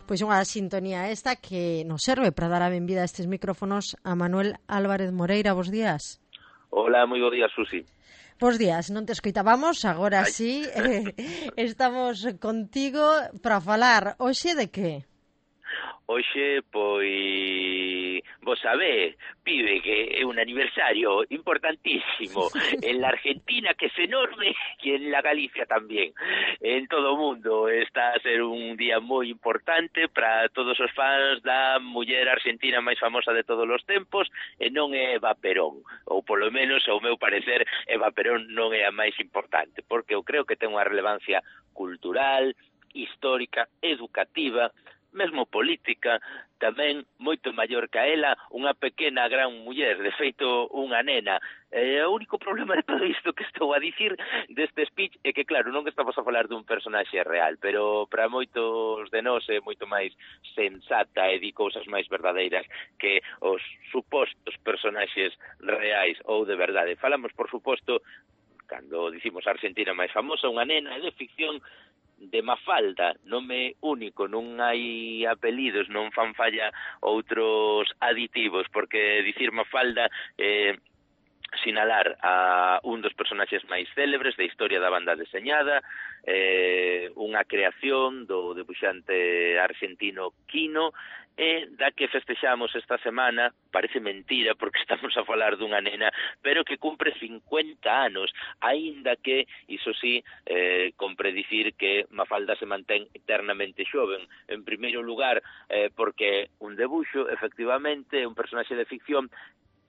Pois unha sintonía esta que nos serve para dar a benvida a estes micrófonos a Manuel Álvarez Moreira. Bos días. Hola, moi bo día, Susi. Bos días, non te escoitábamos, agora sí, estamos contigo para falar hoxe de que? Hoxe, pois, vos sabé, pibe, que é un aniversario importantísimo en la Argentina, que es enorme, e en la Galicia tamén. En todo o mundo está a ser un día moi importante para todos os fans da muller argentina máis famosa de todos os tempos, e non é Eva Perón, ou polo menos, ao meu parecer, Eva Perón non é a máis importante, porque eu creo que ten unha relevancia cultural, histórica, educativa, mesmo política, tamén moito maior que a ela, unha pequena gran muller, de feito unha nena. O único problema de todo isto que estou a dicir deste speech é que, claro, non estamos a falar dun personaxe real, pero para moitos de nós é moito máis sensata e di cousas máis verdadeiras que os supostos personaxes reais ou de verdade. Falamos, por suposto, cando dicimos a Argentina máis famosa, unha nena de ficción, de Mafalda, nome único, non hai apelidos, non fan falla outros aditivos, porque dicir Mafalda sinalar a un dos personaxes máis célebres da historia da banda deseñada, unha creación do debuxante argentino Quino, e da que festexamos esta semana, parece mentira porque estamos a falar dunha nena, pero que cumpre 50 anos, aínda que, iso sí, compre dicir que Mafalda se mantén eternamente xoven. En primeiro lugar, porque un debuxo, efectivamente, un personaxe de ficción.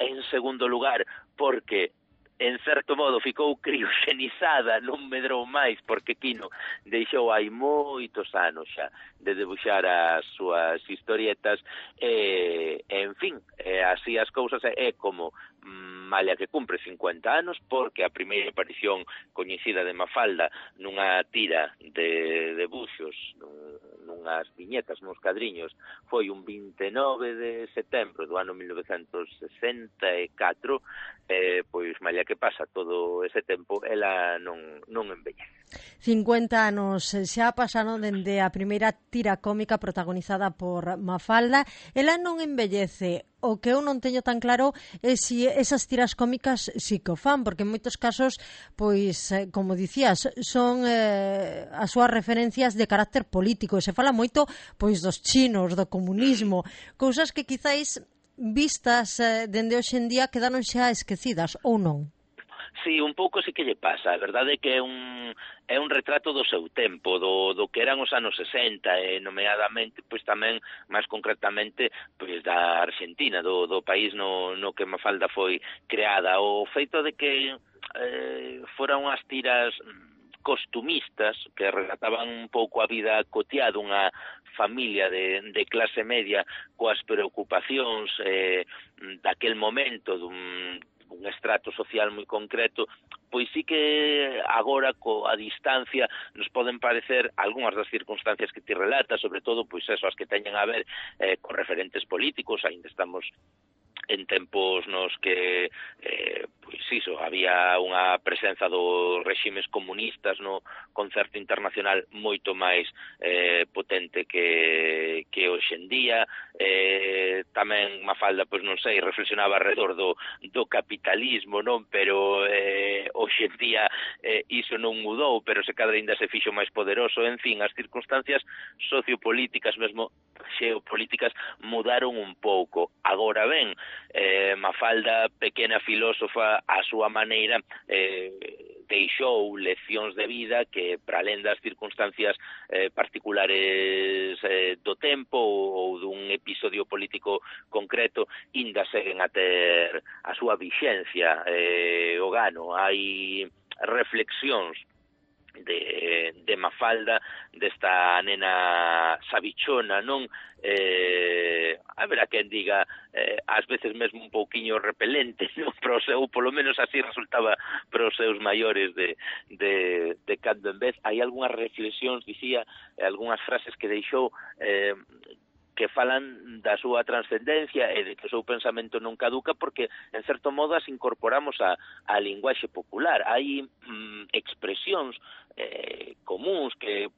En segundo lugar, porque en certo modo ficou crioxenizada, non medrou máis, porque Quino deixou hai moitos anos xa de debuxar as súas historietas, en fin, así as cousas, é como malia que cumpre 50 anos, porque a primeira aparición coñecida de Mafalda nunha tira de debuxos, nunhas viñetas, nuns cadriños, foi un 29 de setembro do ano 1964, pois malia que pasa todo ese tempo, ela non envellece. 50 anos xa pasaron dende a primeira tira cómica protagonizada por Mafalda. Ela non envellece. O que eu non teño tan claro é se esas tiras cómicas si que o fan, porque en moitos casos, pois, como dicías, son as súas referencias de carácter político, e se fala moito pois dos chinos, do comunismo, cousas que quizáis vistas dende hoxe en día quedaron xa esquecidas, ou non? Sí, un pouco sí que lle pasa. A verdade é que é un retrato do seu tempo, do que eran os anos 60, e nomeadamente, pois tamén, máis concretamente, pois da Argentina, do país no que Mafalda foi creada. O feito de que foran unhas tiras costumistas que relataban un pouco a vida cotiá dunha familia de clase media coas preocupacións daquel momento dun estrato social moi concreto, pois sí que agora, coa distancia, nos poden parecer algunhas das circunstancias que ti relatas, sobre todo, pois eso, as que teñen a ver con referentes políticos. Ainda estamos en tempos nos que pois iso, había unha presenza dos reximes comunistas no concerto internacional moito máis potente que hoxe en día. Tamén Mafalda, pois non sei, reflexionaba alrededor do capitalismo, non? Pero hoxe en día iso non mudou, pero se cadra ainda se fixo máis poderoso. En fin, as circunstancias sociopolíticas, mesmo xeopolíticas, mudaron un pouco. Agora ben, Mafalda, pequena filósofa a súa maneira, deixou leccións de vida que, para alén das circunstancias particulares do tempo ou dun episodio político concreto, ainda seguen a ter a súa vixencia. O gano, hai reflexións de Mafalda, desta nena sabichona, non? Haberá quen diga ás veces mesmo un pouquiño repelente, non? Pero polo menos así resultaba para os seus maiores de cando en vez. Hai algunhas reflexións, dicía, algunhas frases que deixou que falan da súa transcendencia e de que o seu pensamento non caduca, porque, en certo modo, as incorporamos a linguaxe popular. Hai expresións comuns que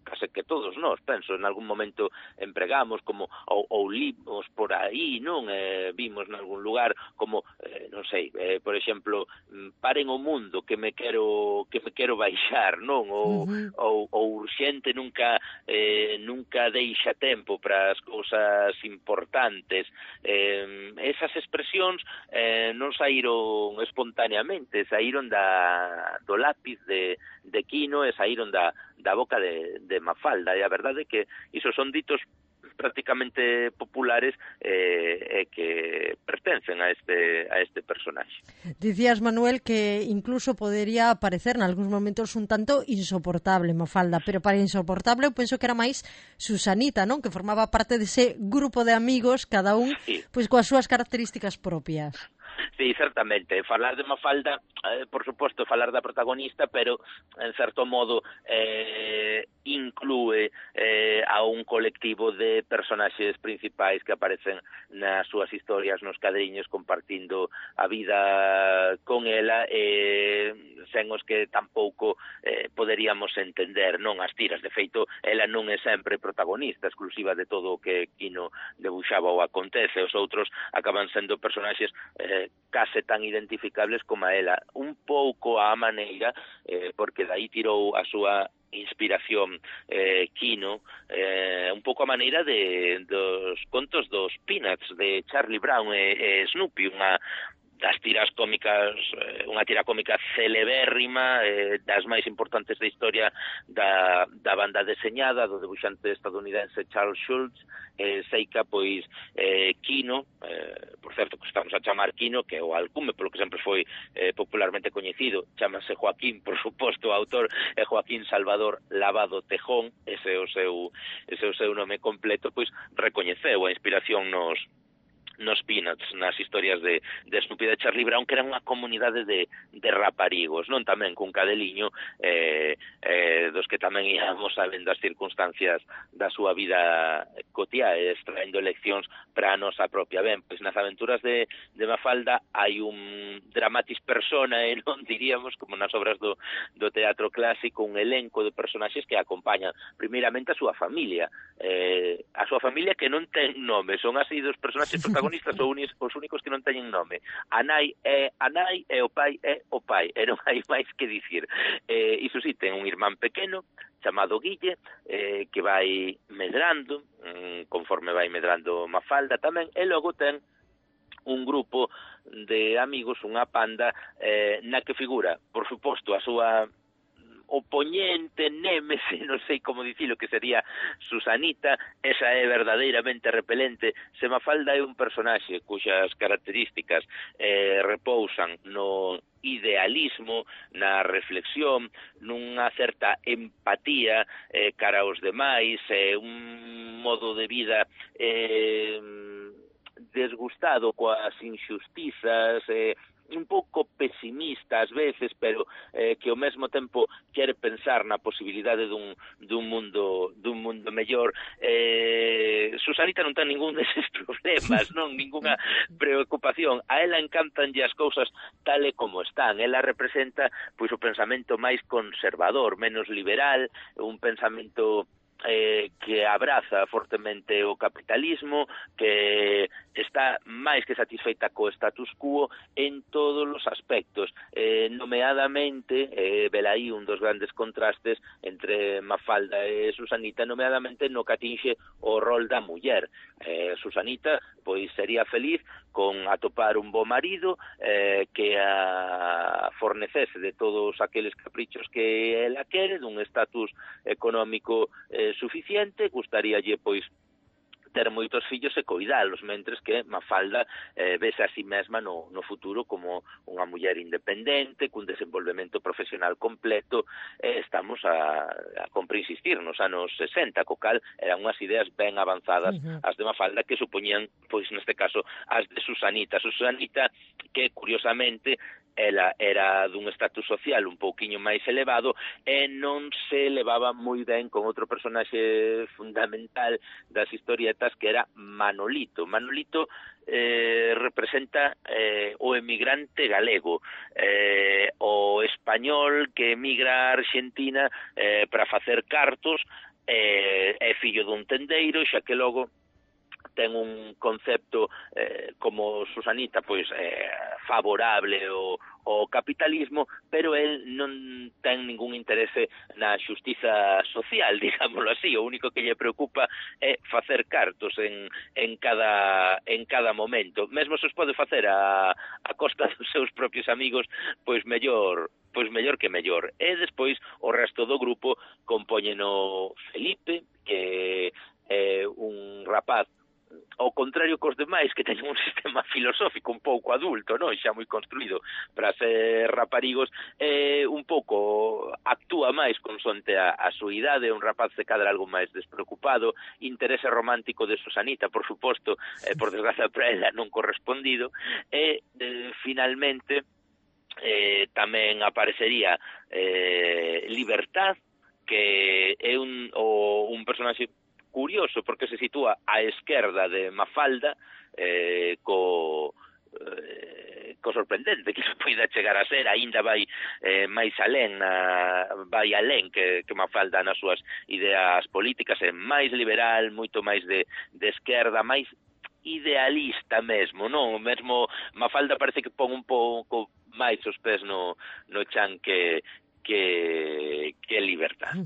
case que todos nós, penso, en algún momento empregamos como ou limos por aí, non? Vimos en algún lugar como, non sei, por exemplo, paren o mundo que me quero baixar, non? Ou urxente nunca deixa tempo para as cousas importantes. Esas expresións non saíron espontaneamente, saíron do lápiz de Quino e saíron da boca de Mafalda, e a verdade é que iso son ditos prácticamente populares que pertencen a este personaxe. Dicías, Manuel, que incluso podería parecer en algúns momentos un tanto insoportable Mafalda, pero para insoportable eu penso que era máis Susanita, non? Que formaba parte dese grupo de amigos, cada un pois coas súas características propias. Sí, certamente. Falar de Mafalda, por suposto, falar da protagonista, pero, en certo modo, inclúe a un colectivo de personaxes principais que aparecen nas súas historias, nos cadriños, compartindo a vida con ela, sen os que tampouco poderíamos entender, non as tiras. De feito, ela non é sempre protagonista exclusiva de todo o que Quino debuxaba ou acontece. Os outros acaban sendo personaxes case tan identificables como a ela, un pouco a maneira, porque daí tirou a súa inspiración Quino, un pouco a maneira dos contos dos Peanuts de Charlie Brown e Snoopy, unha das tiras cómicas, unha tira cómica celebérrima, das máis importantes da historia da banda deseñada do debuxante estadounidense Charles Schulz. Seica, pois, Quino, por certo que estamos a chamar Quino, que é o alcume polo que sempre foi popularmente coñecido, chamase Joaquín, por suposto, o autor é Joaquín Salvador Lavado Tejón, ese é o seu nome completo, pois recoñeceu a inspiración nos Peanuts, nas historias de Snoopy de Charlie Brown, que eran unha comunidade de raparigos, non? Tamén cun cadeliño dos que tamén íamos sabendo as circunstancias da súa vida cotiá, extraendo leccións para a nosa propia. Ben, pois nas aventuras de Mafalda hai un dramatis personae, non diríamos, como nas obras do teatro clásico, un elenco de personaxes que acompañan primeiramente a súa familia que non ten nome, son así dos personaxes protagonistas os únicos que non teñen nome. A nai é a nai e o pai é o pai, e non hai máis que dicir. Iso sí, ten un irmán pequeno chamado Guille, que vai medrando, conforme vai medrando Mafalda tamén, e logo ten un grupo de amigos, unha panda, na que figura, por suposto, a súa opoñente, némese, non sei como dicilo, que sería Susanita. Esa é verdadeiramente repelente. Se Mafalda é un personaxe cuxas características repousan no idealismo, na reflexión, nunha certa empatía cara aos demais, un modo de vida desgustado coas injustizas, un pouco pesimista ás veces, pero que ao mesmo tempo quere pensar na posibilidade dun mundo mellor. Susanita non ten ningún deses problemas, non, ninguna preocupación. A ela encantanlle as cousas tal e como están. Ela representa pois o pensamento máis conservador, menos liberal, un pensamento que abraza fortemente o capitalismo, que está máis que satisfeita co status quo en todos os aspectos, nomeadamente, velaí un dos grandes contrastes entre Mafalda e Susanita, nomeadamente no que atinxe o rol da muller. Susanita pois sería feliz con atopar un bo marido que a fornecese de todos aqueles caprichos que ela quere, dun estatus económico suficiente, gustaríalle pois ter moitos fillos e coidalos, mentres que Mafalda vese a si mesma no futuro como unha muller independente, cun desenvolvemento profesional completo. Estamos a compre insistir nos anos 60, co cal eran unhas ideas ben avanzadas as de Mafalda, que supoñían, pois neste caso, as de Susanita. Susanita, que curiosamente ela era dun estatus social un pouquiño máis elevado e non se levaba moi ben con outro personaxe fundamental das historietas, que era Manolito. Manolito representa o emigrante galego, o español que emigra a Argentina para facer cartos é fillo dun tendeiro, xa que logo ten un concepto como Susanita pois favorable ao capitalismo, pero el non ten ningún interese na xustiza social, digámoslo así. O único que lle preocupa é facer cartos en cada momento. Mesmo se os pode facer a costa dos seus propios amigos, pois mellor que mellor. E despois o resto do grupo compóñeno Felipe, que é un rapaz ao contrario cos demais, que teñen un sistema filosófico un pouco adulto, non? Xa moi construído para ser raparigos, un pouco actúa máis consoante a súa idade, un rapaz de cadra algo máis despreocupado, interese romántico de Susanita, por suposto, por desgracia para ela non correspondido, e finalmente tamén aparecería Libertad, que é un personaxe curioso, porque se sitúa á esquerda de Mafalda, co sorprendente que se poida chegar a ser, aínda vai máis alén, vai alén que Mafalda nas súas ideas políticas, é máis liberal, moito máis de esquerda, máis idealista mesmo, non? Mesmo Mafalda parece que pon un pouco máis os pés no chan que Libertad.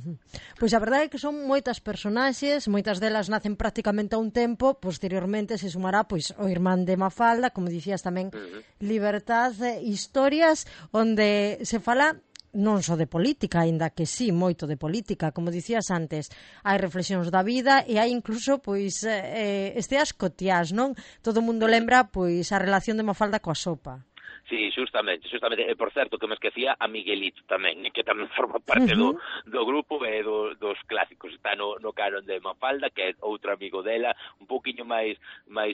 Pois a verdade é que son moitas personaxes, moitas delas nacen prácticamente a un tempo, posteriormente se sumará pois o irmán de Mafalda, como dicías tamén, Libertad, historias onde se fala non só de política, aínda que sí, moito de política, como dicías antes, hai reflexións da vida e hai incluso pois esteas cotiás, non? Todo o mundo lembra pois a relación de Mafalda coa sopa. Sí, justamente, e por certo que me esquecía a Miguelito tamén, que tamén forma parte do grupo e dos clásicos, está no canon de Mafalda, que é outro amigo dela, un pouquiño máis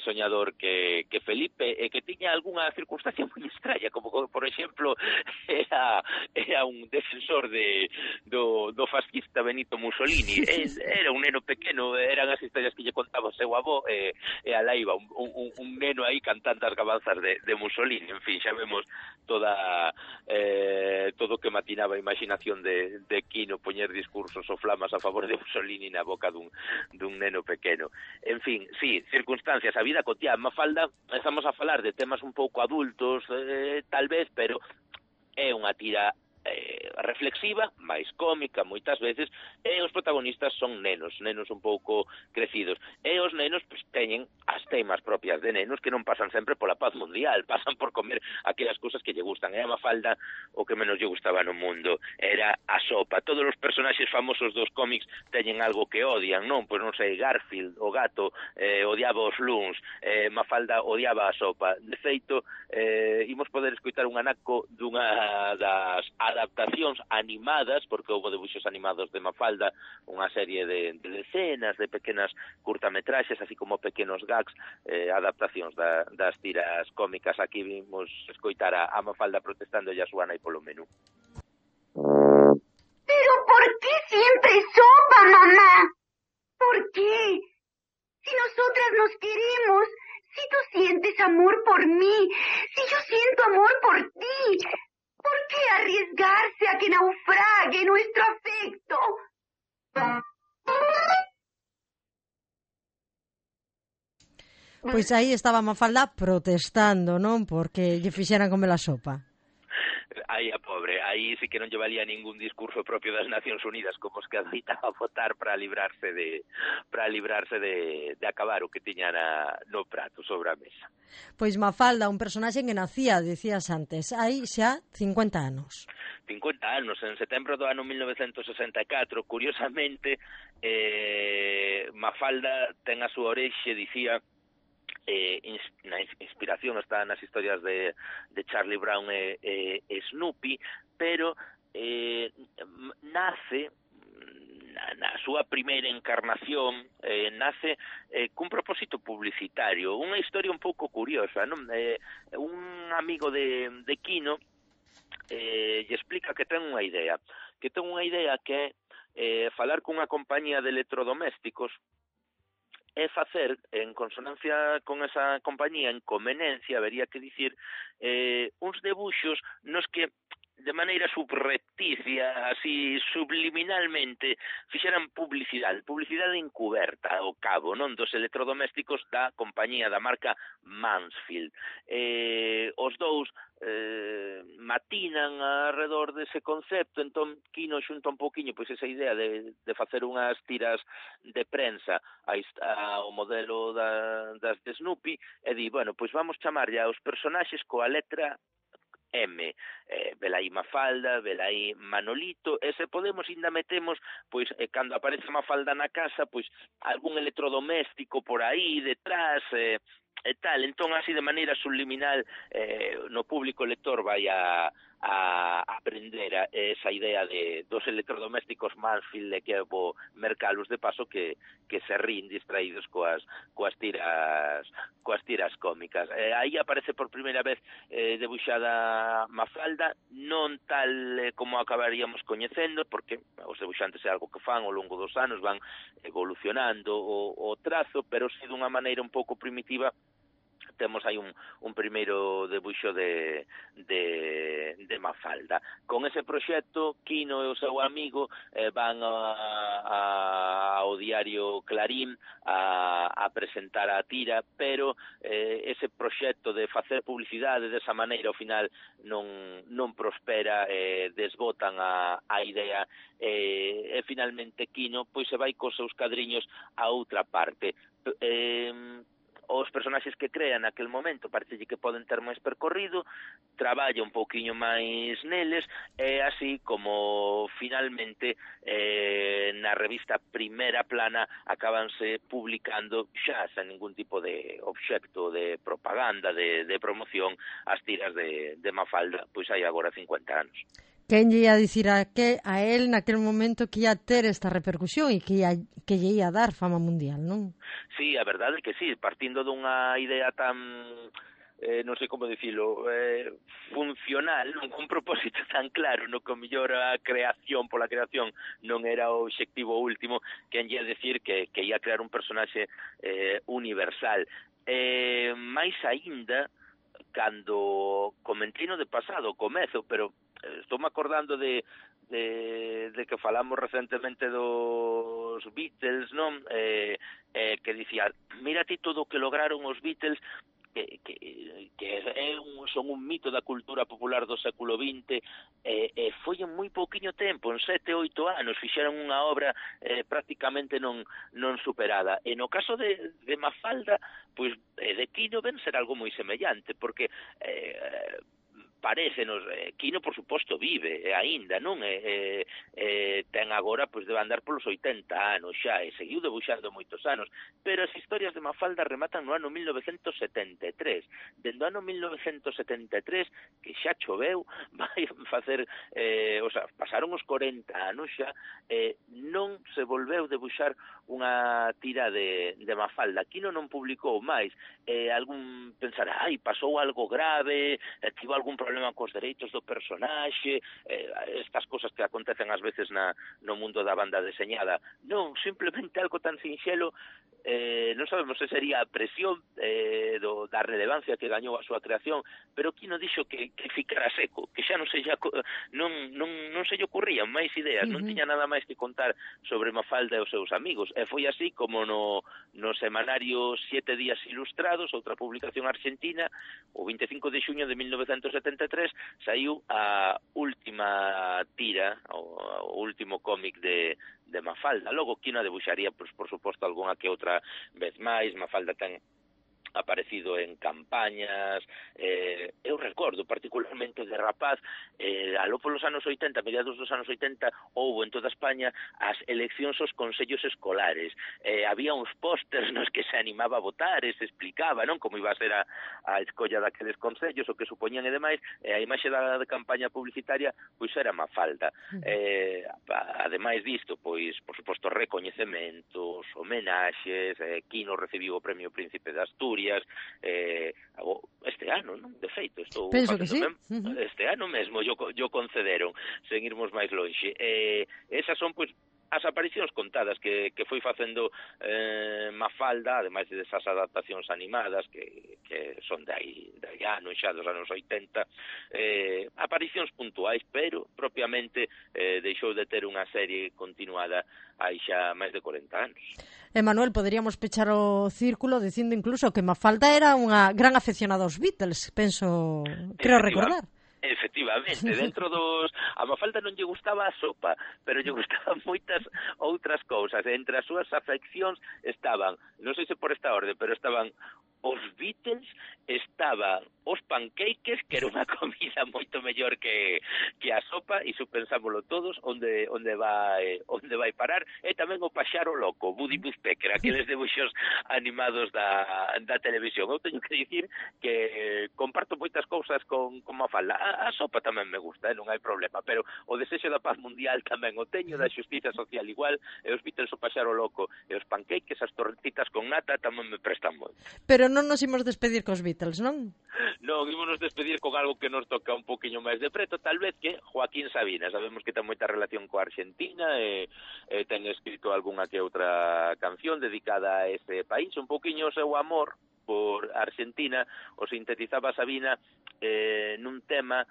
soñador que Felipe, e que tiña algunha circunstancia moi extraña, como por exemplo era un defensor do fascista Benito Mussolini. Era un neno pequeno, eran as historias que lle contaba o seu avó, e alá iba un neno aí cantando as gabanzas de Mussolini. En fin, xa vemos todo que matinaba a imaginación de Quino poñer discursos ou flamas a favor de Mussolini na boca dun neno pequeno. En fin, sí, circunstancias, a vida cotiá. Mafalda, estamos a falar de temas un pouco adultos, tal vez, pero é unha tira reflexiva, máis cómica moitas veces, e os protagonistas son nenos un pouco crecidos, e os nenos pues, teñen as teimas propias de nenos que non pasan sempre pola paz mundial, pasan por comer aquelas cousas que lle gustan. E a Mafalda o que menos lle gustaba no mundo era a sopa. Todos os personaxes famosos dos cómics teñen algo que odian, non? Pois non sei, Garfield, o gato, odiaba os luns, Mafalda odiaba a sopa. De feito, imos poder escoitar un anaco dunha das adaptacións animadas, porque houve debuxos animados de Mafalda, unha serie de decenas de pequenas curtametraxes, así como pequenos gags, adaptacións das tiras cómicas. Aquí vimos escoitar a Mafalda protestando a súa nai polo menú. ¿Pero por qué siempre sopa, mamá? ¿Por qué? Si nosotras nos queremos, si tú sientes amor por mí, si yo siento amor por ti, ¿por qué arriesgarse a que naufrague nuestro afecto? Pois aí estaba Mafalda protestando, non? Porque lle fixeran comer a sopa. Aí a pobre, aí sí que non lle valía ningún discurso propio das Nacións Unidas como os que adoitaba votar para librarse de acabar o que tiña no prato sobre a mesa. Pois Mafalda, un personaxe que nacía, dicías antes, hai xa 50 anos. 50 anos, en setembro do ano 1964, curiosamente, Mafalda ten a súa orixe, dicía, na inspiración está nas historias de Charlie Brown e Snoopy, pero nace na súa primeira encarnación, nace cun propósito publicitario, unha historia un pouco curiosa, non? Un amigo de Quino lle explica que ten unha idea que é falar cunha compañía de electrodomésticos é facer, en consonancia con esa compañía, en conveniencia, habería que dicir, uns debuxos nos que de maneira subrepticia, así subliminalmente, fixeran publicidade encuberta ao cabo, non, dos electrodomésticos da compañía da marca Mansfield. Os dous matinan alrededor dese concepto, entón Quino xunta un poquinho pois esa idea de facer unhas tiras de prensa ao modelo das de Snoopy e di, bueno, pois vamos chamarlle aos personaxes coa letra M, velaí Mafalda, velaí Manolito, e se podemos ainda metemos, pois, cando aparece Mafalda na casa, pois, algún electrodoméstico por aí detrás, e tal, entón así de maneira subliminal no público lector vai a aprender esa idea dos electrodomésticos Mansfield e que vou mercalos de paso que se rín distraídos coas tiras cómicas. Aí aparece por primeira vez debuxada Mafalda, non tal como acabaríamos coñecendo, porque os debuxantes é algo que fan ao longo dos anos, van evolucionando o trazo, pero si dunha maneira un pouco primitiva. Temos aí un primeiro debuxo de Mafalda. Con ese proxecto, Quino e o seu amigo van ao diario Clarín a presentar a tira, pero ese proxecto de facer publicidade desa maneira ao final non prospera, desbotan a idea e finalmente Quino pois se vai cos seus cadriños a outra parte. Os personaxes que crea naquel momento parecelle que poden ter máis percorrido, traballa un pouquiño máis neles, e así como finalmente na revista Primera Plana acabanse publicando xa sen ningún tipo de obxecto de propaganda, de promoción, as tiras de Mafalda, pois hai agora 50 anos. Quen lle ia dicir a él naquel momento que ia ter esta repercusión e que lle ia dar fama mundial, non? Sí, a verdade é que sí, partindo dunha idea tan, non sei como dicilo, funcional, non con propósito tan claro, no que o mellor a creación pola creación non era o obxectivo último, quen lle ia dicir que ia crear un personaxe universal. Mais aínda, cando comentino de pasado, comezo, pero estou me acordando de que falamos recentemente dos Beatles, non? Que dicía, mira ti todo o que lograron os Beatles, que son un mito da cultura popular do século XX, e foi en moi pouquiño tempo, en 7-8 anos, fixeron unha obra prácticamente non superada. E no caso de Mafalda, pois de Quino ven ser algo moi semellante, porque parécenos, Quino por suposto vive aínda, non? Ten agora, pois debe andar polos 80 anos xa, e seguiu debuxando moitos anos, pero as historias de Mafalda rematan no ano 1973. Dende o ano 1973, que xa choveu, vai facer, pasaron os 40 anos xa, non se volveu debuxar unha tira de Mafalda. Quino non publicou máis. Algún pensará, pasou algo grave, tivo algún problema cos dereitos do personaxe, estas cosas que acontecen ás veces no mundo da banda deseñada. Non, simplemente algo tan sinxelo, non sabemos se sería a presión da relevancia que gañou a súa creación, pero Quino dixo que ficara seco, que xa non se lle ocurrían máis ideas, non tiña nada máis que contar sobre Mafalda e os seus amigos, e foi así como no semanario 7 días ilustrados, outra publicación argentina, o 25 de xuño de 1973, saiu a última tira, o último cómic de Mafalda. Logo Quino debuxaría, por suposto, algunha que outra vez máis. Mafalda ten aparecido en campañas, eu recordo particularmente de rapaz, aló polos anos 80, mediados dos anos 80, houbo en toda España as eleccións aos consellos escolares, había uns pósters nos que se animaba a votar e se explicaba, non, como iba a ser a escolla daqueles consellos, o que supoñían e demais, a imaxe da campaña publicitaria, pois era Mafalda. Ademais disto, pois, por suposto, recoñecementos, homenaxes, Quino recibiu o Premio Príncipe de Asturias, este ano, non? De feito, estou penso que sí. Este ano mesmo yo concederon, sen irmos máis lonxe. Esas son, pois, as aparicións contadas que foi facendo Mafalda, ademais desas adaptacións animadas que son de anos xa dos anos 80, aparicións puntuais, pero propiamente deixou de ter unha serie continuada hai xa máis de 40 anos. Manuel, poderíamos pechar o círculo dicindo incluso que Mafalda era unha gran afeccionada aos Beatles, creo recordar. Efectivamente, dentro dos... A Mafalda non lle gustaba a sopa, pero lle gustaban moitas outras cousas. Entre as súas afeccións estaban, non sei se por esta orde, pero estaban os Beatles, estaban os pancakes, que era unha comida moito mellor que a sopa, e iso pensámoslo todos, onde vai parar, e tamén o paxaro loco, Woody Woodpecker, aqueles debuxos animados da televisión. Eu teño que dicir que comparto moitas cousas con Mafalda. A sopa tamén me gusta, non hai problema, pero o desexo da paz mundial tamén o teño, da xustiza social igual, e os Beatles o paxaro loco, e os pancakes, as torretitas con nata tamén me prestan moito. Pero non nos imos despedir cos Beatles, non? Non, ímonos despedir con algo que nos toca un poquinho máis de preto, tal vez que Joaquín Sabina. Sabemos que ten moita relación coa Argentina e ten escrito algunha que outra canción dedicada a ese país. Un poquinho o seu amor por Argentina o sintetizaba Sabina nun tema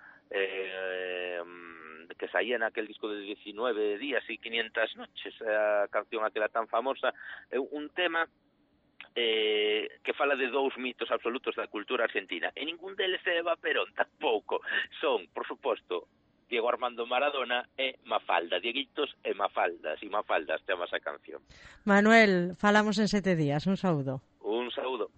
que saía naquel disco de 19 días e 500 noches, a canción aquela tan famosa, un tema que fala de dous mitos absolutos da cultura argentina, e ningún deles é Eva Perón, tampouco. Son, por suposto, Diego Armando Maradona e Mafalda, Dieguitos e Mafaldas chama esa canción. Manuel, falamos en 7 días, un saúdo. Un saúdo.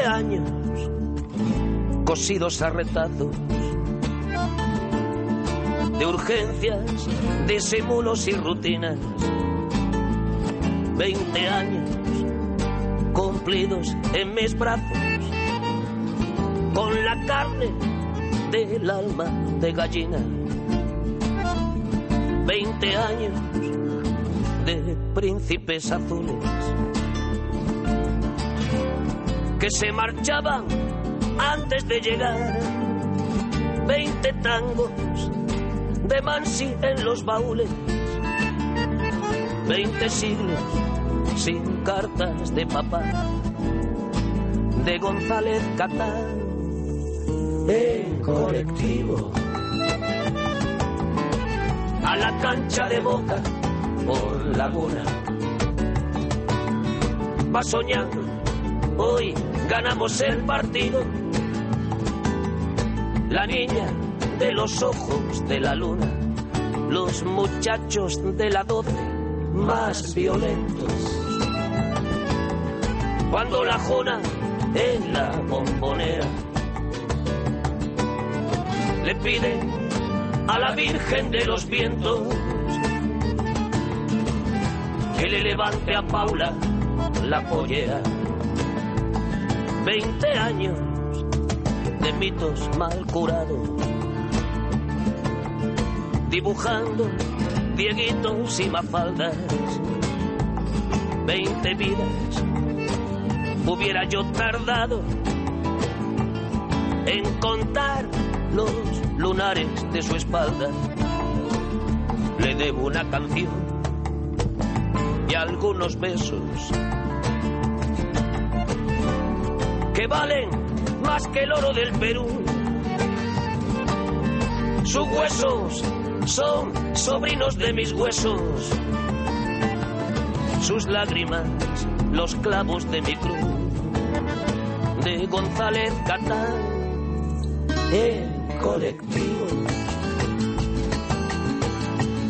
Años cosidos a retazos de urgencias, disimulos y rutinas. 20 años cumplidos en mis brazos con la carne del alma de gallina. 20 años de príncipes azules que se marchaban antes de llegar. 20 tangos de Mansi en los baúles. 20 siglos sin cartas de papá, de González Catán en colectivo a la cancha de Boca por Laguna. Va soñando, hoy ganamos el partido. La niña de los ojos de la luna, los muchachos de la 12 más violentos. Cuando la Jona en la Bombonera le pide a la Virgen de los Vientos que le levante a Paula la pollera. 20 años de mitos mal curados, dibujando Dieguitos y Mafaldas. 20 vidas hubiera yo tardado en contar los lunares de su espalda. Le debo una canción y algunos besos que valen más que el oro del Perú. Sus huesos son sobrinos de mis huesos, sus lágrimas los clavos de mi cruz. De González Catán en colectivo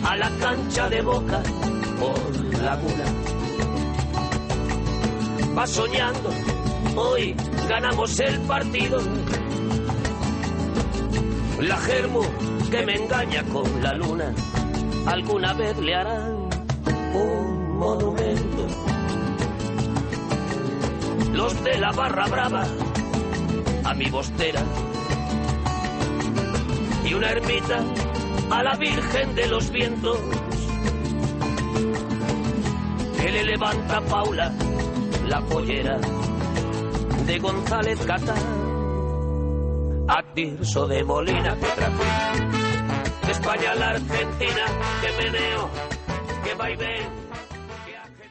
a la cancha de Boca por Laguna. Va soñando, hoy ganamos el partido. La germo que me engaña con la luna, alguna vez le harán un monumento. Los de la barra brava a mi bostera y una ermita a la Virgen de los Vientos, que le levanta Paula la pollera de González Catán, a Tirso de Molina que trajo de España a la Argentina, que meneo, que va y ven,